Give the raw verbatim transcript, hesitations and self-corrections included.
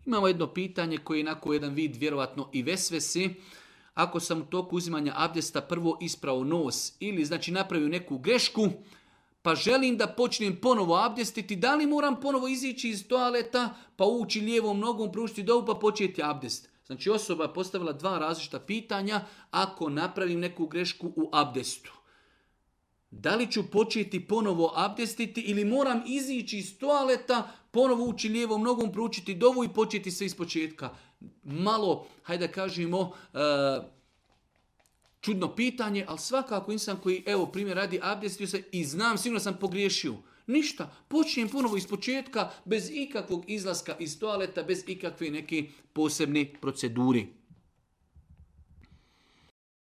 Imamo jedno pitanje koje je onako jedan vid vjerovatno i vesvese. Ako sam u toku uzimanja abdesta prvo isprao nos ili znači napravio neku grešku, pa želim da počnem ponovo abdestiti, da li moram ponovo izići iz toaleta, pa ući lijevom nogom, pružiti dovu, pa početi abdest? Znači osoba je postavila dva različita pitanja ako napravim neku grešku u abdestu. Da li ću početi ponovo abdestiti ili moram izići iz toaleta, ponovo ući lijevom nogom, proučiti dovu i početi sve iz početka? Malo, hajde da kažemo, e, čudno pitanje, ali svakako insan koji, evo primjer radi, abdestio se i znam, sigurno sam pogriješio. Ništa, počnem ponovo iz početka, bez ikakvog izlaska iz toaleta, bez ikakve neke posebne proceduri.